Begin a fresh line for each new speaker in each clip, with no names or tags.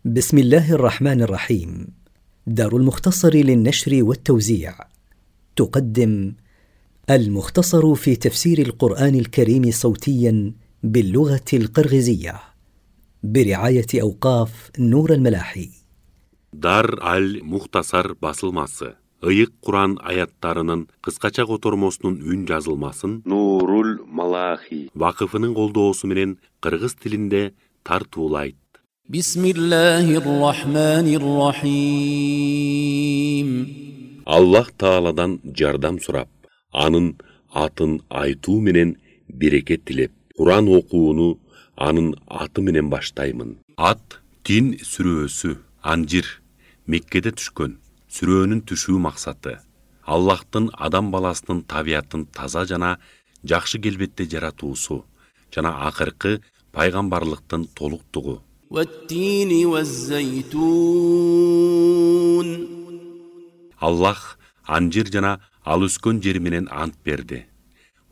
بسم الله الرحمن الرحيم. دار المختصر للنشر والتوزيع تقدم المختصر في تفسير القرآن الكريم صوتيا باللغة القرغيزية برعاية أوقاف نور الملاحي.
Дар аль-Мухтасар басылмасы. Ыйык Куран аяттарынын кыскача котормосунун үн жазылмасын Нурул Малахи вакыфынын колдоосу менен кыргыз тилинде тартуулайт.
Бисмиллахир-рахманир-рахим.
Аллах Тааладан жардам сурап, анын атын айтуу менен берекет тилеп, Куран окууну анын аты менен баштаймын. Ат Тин сүрөсү, Анжир, Меккеде түшкөн. Сүрөөнүн түшүү максаты Аллахтын адам баласынын табиятын таза жана жакшы келбетте жаратуусу жана акыркы пайгамбарлыктын толуктугу. Аллах анжир жана ал өскөн жери менен ант берди.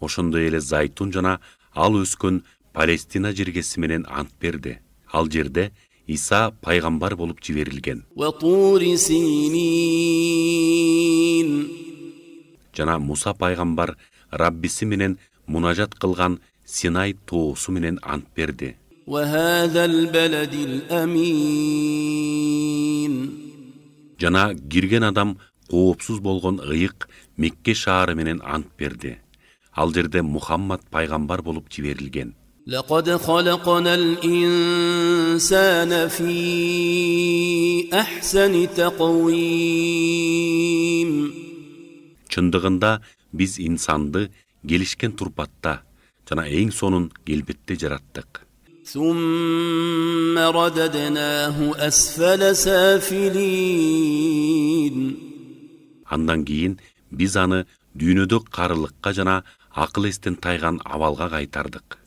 Ошондой эле зайтун жана ал өскөн Палестина жергеси менен ант берди. Ал жерде Иса пайгамбар болуп жиберилген. Жана Муса пайгамбар Раббиси менен мунажат кылган Синай тоосу менен ант берди. Жана кирген адам коопсуз болгон ыйык Мекке шаары менен ант берди. Ал жерде Мухаммад пайгамбар болуп жиберилген.
لقد خلقنا الإنسان في أحسن تقويم.
Чындыгында биз инсанды келишкен турпатта жана эң сонун келбетте жараттык.
ثم رددناه أسفل سافلين.
Андан кийин биз аны дүйнөдө карылыкка жана акыл эстен тайган абалга кайтардык.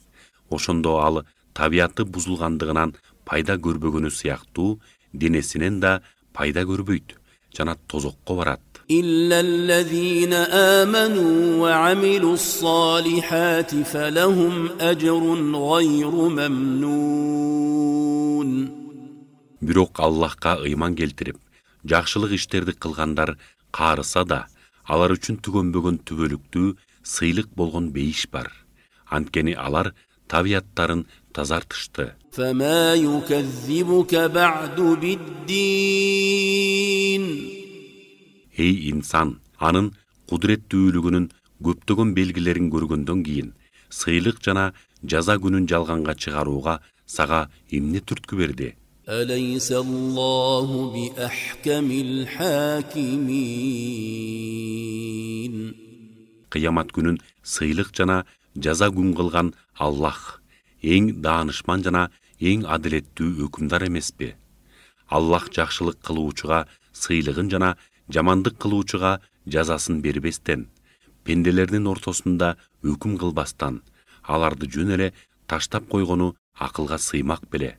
Ошондо ал табияты бузулгандыгынан пайда көрбөгөнү сыяктуу денесинен да пайда көрбөйт жана тозокко барат.
إلا الذين آمنوا وعملوا الصالحات فلهم أجر غير ممنون.
Бирок Аллахка ыйман келтирип, жакшылык иштерди кылгандар каарыса да, алар үчүн түгөнбөгөн түбөлүктүү сыйлык болгон бейиш бар. Анткени алар табияттарын тазартышты.
فما يكذبك بعد بالدين.
Эй инсан, анын кудуреттүүлүгүнүн көптөгөн белгилерин көргөндөн кийин сыйлык жана жаза күнүн жалганга чыгарууга сага эмне түрткү берди?
أليس الله بأحكم الحاكمين.
Кыямат күнүн сыйлык жана жаза күн кылган Аллах эң даанышман жана эң адилеттүү өкүмдар эмеспи? Аллах жакшылык кылуучуга сыйлыгын жана жамандык кылуучуга жазасын бербестен, пенделердин ортосунда өкүм кылбастан, аларды жөн эле таштап койгону акылга сыймак беле.